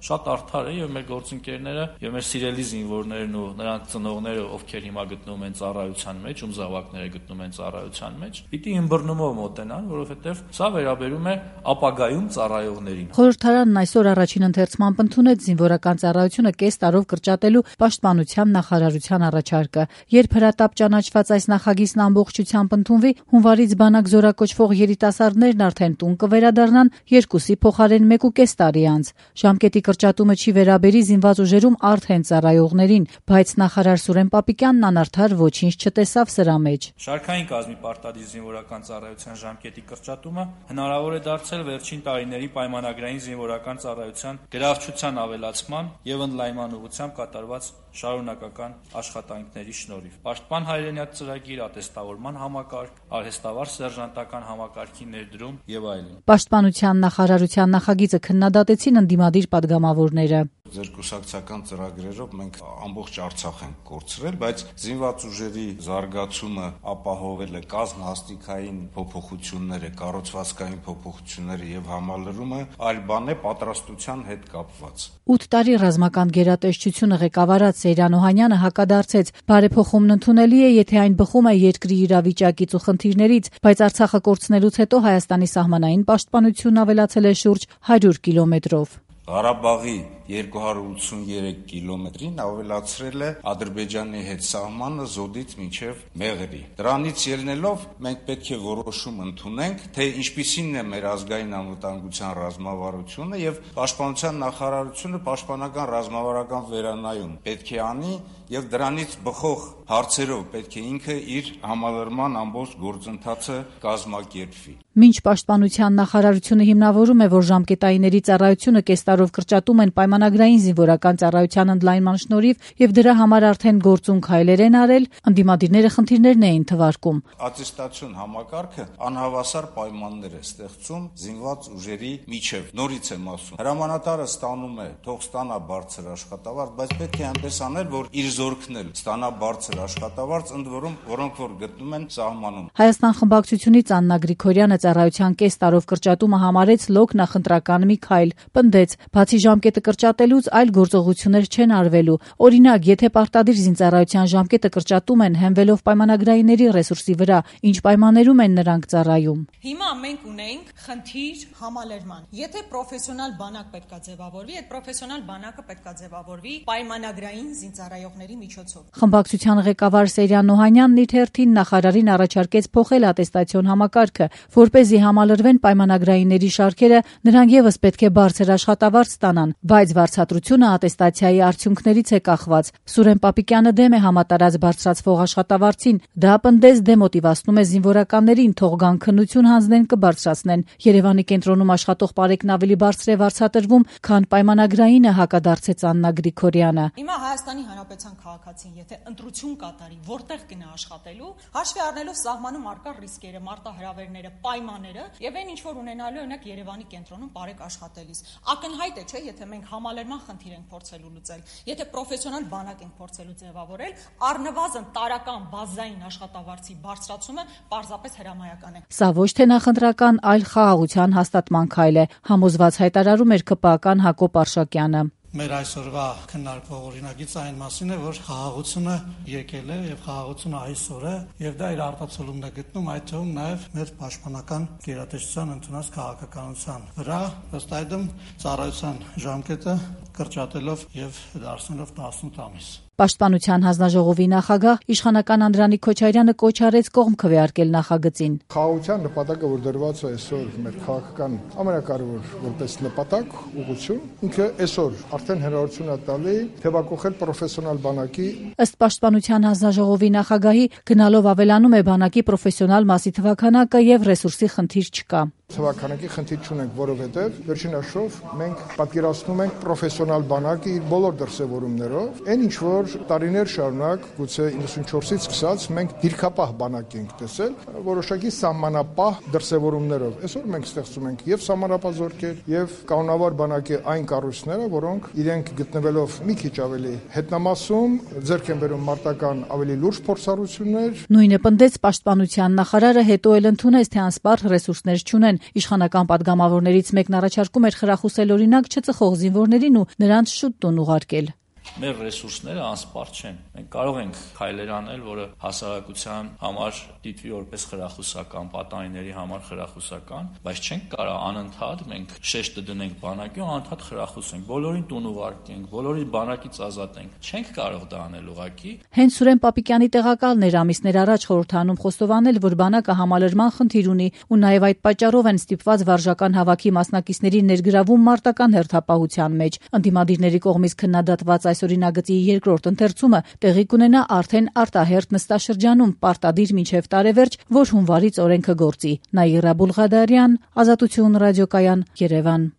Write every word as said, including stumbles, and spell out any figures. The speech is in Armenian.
շատ արդար է եւ մեր գործընկերները եւ մեր սիրելի զինվորներն ու նրանց ծնողները, ովքեր հիմա գտնվում են ծառայության մեջ, ում զավակները գտնում են ծառայության մեջ, պիտի ըմբռնումով մոտենան, որովհետեւ սա վերաբերում է ապագայում ծառայողներին։ Խորհրդարանն այսօր առաջին ընթերցման ընդունեց զինվորական ծառայությունը կես տարով կրճատելու պաշտպանության նախարարության առաջարկը։ Երբ հրատապ ճանաչված այս նախագիծն ամբողջությամբ ընդունվի, հունվարից բանակ զորակոչվող երիտասարդներն արդեն տուն կվերադառնան երկուսի փոխարեն մեկ ու կես տարի անց։ Ժամկետի կրճատումը չի վերաբերի զինված ուժերում արդեն ծառայողներին, բայց նախարար Սուրեն Պապիկյանն անարդար ոչինչ չտեսավ սրա մեջ։ Շարքային կազմի պարտադիր զինվորական ծառայության ժամկետի կրճատումը հնարավոր է դարձել վերջին տարիների պայմանագրային զինվորական ծառայության գրավչության ավելացման եւ ընդլայնման ուղղությամբ կատարված շարունակական աշխատանքների շնորհիվ։ Պաշտպան հայրենիաց ծրագիր, ատեստավորման համակարգ, արհեստավար սերժանտական համակարգի ներդրում եւ այլն։ Պաշտպանության նախարարության նախագիծը քննադատեցին ընդդիմադիր падգամավորները։ Ձեր կուսակցական ծրագրերով մենք ամբողջ Արցախ ենք կորցրել, բայց զինված ուժերի զարգացումը ապահովելը, կազմահաստիկային փոփոխությունները, կառուցվածքային փոփոխությունները եւ համալրումը այլ բան է պատրաստության հետ կապված։ ութ տարի ռազմական գերատեսչությունը ղեկավարած Սեյրան Օհանյանը հակադարձեց. բարեփոխումն ընդունելի է, եթե այն բխում է երկրի իրավիճակից ու խնդիրներից, բայց Արցախը կորցնելուց հետո Հայաստանի սահմանային պաշտպանությունն ավելացել է շուրջ հարյուր կիլոմետրով։ Ղարաբաղի երկու հարյուր ութսուներեք կիլոմետրին ավելացրել է Ադրբեջանի հետ սահմանը Զոդից մինչև Մեղրի։ Դրանից ելնելով մենք պետք է որոշում ընդունենք, թե ինչպիսին է մեր ազգային անվտանգության ռազմավարությունը եւ պաշտպանության նախարարությունը պաշտպանական ռազմավարական վերանայում պետք է անի եւ դրանից բխող հարցերով պետք է ինքը իր համալրման ամբողջ գործընթացը կազմակերպվի։ Մինչ պաշտպանության նախարարությունը հիմնավորում է, որ ժամկետայինների ծառայությունը կես տարով կրճատում են պայմանագրային զինվորական ծառայության ընդլայնման շնորհիվ եւ դրա համար արդեն գործուն քայլեր են արել, ընդդիմադիրները խնդիրներն էին թվարկում։ Ատեստացիոն համակարգը անհավասար պայմաններ է ստեղծում զինված ուժերի միջև։ Նորից եմ ասում, հրամանատարը ստանում է, թող ստանա բարձր աշխատավարձ, բայց պետք է այնպես անել, որ իր զորքն էլ ստանա բարձր աշխատավարձ, ընդ որում, որոնք որ գտնում են սահմանում։ Հայաստան խմբակցությունից Աննա Գրիգորյանը ծառայության կես տարով կրճատումը համարեց լոկ նախընտրական մի քայլ, պնդեց, բացի ժամկետը կրճատելուց այլ գործողություններ չեն արվելու։ Օրինակ, եթե պարտադիր զինծառայության ժամկետը կրճատում են հենվելով պայմանագրայինների ռեսուրսի վրա, ինչ պայմաններում են նրանք ծառայում։ Հիմա մենք ունենք խնդիր համալրման։ Եթե պրոֆեսիոնալ բանակ պետքա ձևավորվի, այդ պրոֆեսիոնալ բանակը պետքա ձևավորվի պայմանագրային զինծառայողների միջոցով։ Խմբակցության ղեկավար Սեյրան Օհանյանն իր հերթին նախարարին առաջարկեց փոխել ատեստացիոն համակարգը, որպեսզի համալրվեն պայմանագրայինների շարքերը, նրանք եւս պետք է բարձր աշխատավարձ ստանան, բայց վարձատրությունը ատեստացիայի արդյունքներից է կախված։ Սուրեն Պապիկյանը դեմ է համատարած բարձրացվող աշխատավարձին, դա պնդեց դեմոտիվացնում է զինվորականներին, թող գան քննություն հանձնեն կբարձրացնեն։ Երևանի կենտրոնում աշխատող պարեկն ավելի բարձր է վարձատրվում, քան պայմանագրայինը, հակադարձեց Աննա Գրիգորյանը։ Հիմա Հայաստանի Հանրապետության քաղաքացին, եթե ընտրություն կատարի, որտեղ գնա աշխատելու, հաշվի առնելով սահմանում առկա ռիսկերը, մարտահրավերները, պայմանները եւ այն ինչ որ ունենալու օրինակ Երևանի կենտրոնում բարեք աշխատելիս։ Ակնհայտ է, չէ, եթե մենք համալրման խնդիր ենք փորձելու լուծել, եթե պրոֆեսիոնալ բանակ ենք փորձելու ձևավորել, առնվազն տարական բազային աշխատավարձի բարձրացումը պարզապես հրամայական է։ Սա ոչ թե նախընտրական, այլ խաղաղության հաստատման քայլ է, համոզված հայտարարում էր ԿՊԱ-ական Հակոբ Արշակյանը։ Մեր այսօրվա քննարկվող օրինագիծը այն մասին է, որ խաղաղությունը եկել է եւ խաղաղությունը այսօր է եւ դա իր արտացոլումն է գտնում այդ թվում նաեւ մեր պաշտպանական գերատեսչության ընդունած քաղաքականության վրա, ըստ այդմ ծառայության ժամկետը կրճատելով եւ դարձնելով տասնութ ամիս։ Պաշտպանության հանձնաժողովի նախագահ իշխանական Անդրանիկ Քոչարյանը կոչ արեց կողմ քվեարկել նախագծին։ Խաղաղության նպատակը, որ դրված է այսօր մեր քաղաքական ամենակարևոր որպես նպատակ, ուղղություն, ինքը այսօր արդեն հնարավորություն է տալի թեւակողել պրոֆեսիոնալ բանակի։ Ըստ Պաշտպանության հանձնաժողովի նախագահի, գնալով ավելանում է բանակի պրոֆեսիոնալ մասի թվաքանակը եւ ռեսուրսի խնդիր չկա։ Թվաքանակի խնդիր չունենք, որովհետև վերջին հաշվով մենք պատկերացնում ենք պրոֆեսիոնալ բանակի իր բոլոր դրսևորումներով, այն ինչ որ տարիներ շարունակ, գուցե իննսունչորսից սկսած մենք դիրքապահ բանակ ենք տեսել, որոշակի սահմանապահ դրսևորումներով։ Այսօր մենք ստեղծում ենք եւ սահմանապահ զորքեր, եւ կանոնավոր բանակի այն կառույցները, որոնք իրենք գտնվելով մի քիչ ավելի հետնամասում, ձեռք են բերում մարտական ավելի լուրջ փորձառություններ։ Նույնը պնդեց Պաշտպանության նախարարը, հետո էլ ընդունեց, թե անսպառ ռեսուրսներ չունեն, են։ Իշխանական պատգամավորներից մեկն առաջարկում էր խրախուսել օրինակ չծխող զինվորներին ու նրանց շուտ տուն ուղարկել։ Մեր ռեսուրսները անսպառ չեն։ Մենք կարող ենք քայլեր անել, որը հասարակության համար դիտվի որպես խրախուսական, պատանիների համար խրախուսական, բայց չենք կարող անընդհատ մենք շեշտը դնենք բանակի ու անընդհատ խրախուսենք, բոլորին տուն ուղարկենք, բոլորին բանակից ազատենք։ Չենք կարող դա անել ուղղակի։ Հենց Սուրեն Պապիկյանի տեղակալն էր ամիսներ առաջ խորհրդանում խոստովանել, որ բանակը համալրման խնդիր ունի ու նաև այդ պատճառով են ստիպված վարժական հավաքի մասնակիցների ներգրավում մարտական հերթապահության մեջ։ Ընդդիմադիրների կողմից քննադատված այս օրինագծի երկրորդ ընթերցումը տեղի կունենա արդեն արտահերթ նստաշրջանում պարտադիր մինչև տարեվերջ, որ հունվարից օրենքը գործի։ Նաիրա Բուլղադարյան, Ազատություն ռադիոկայան, Երևան։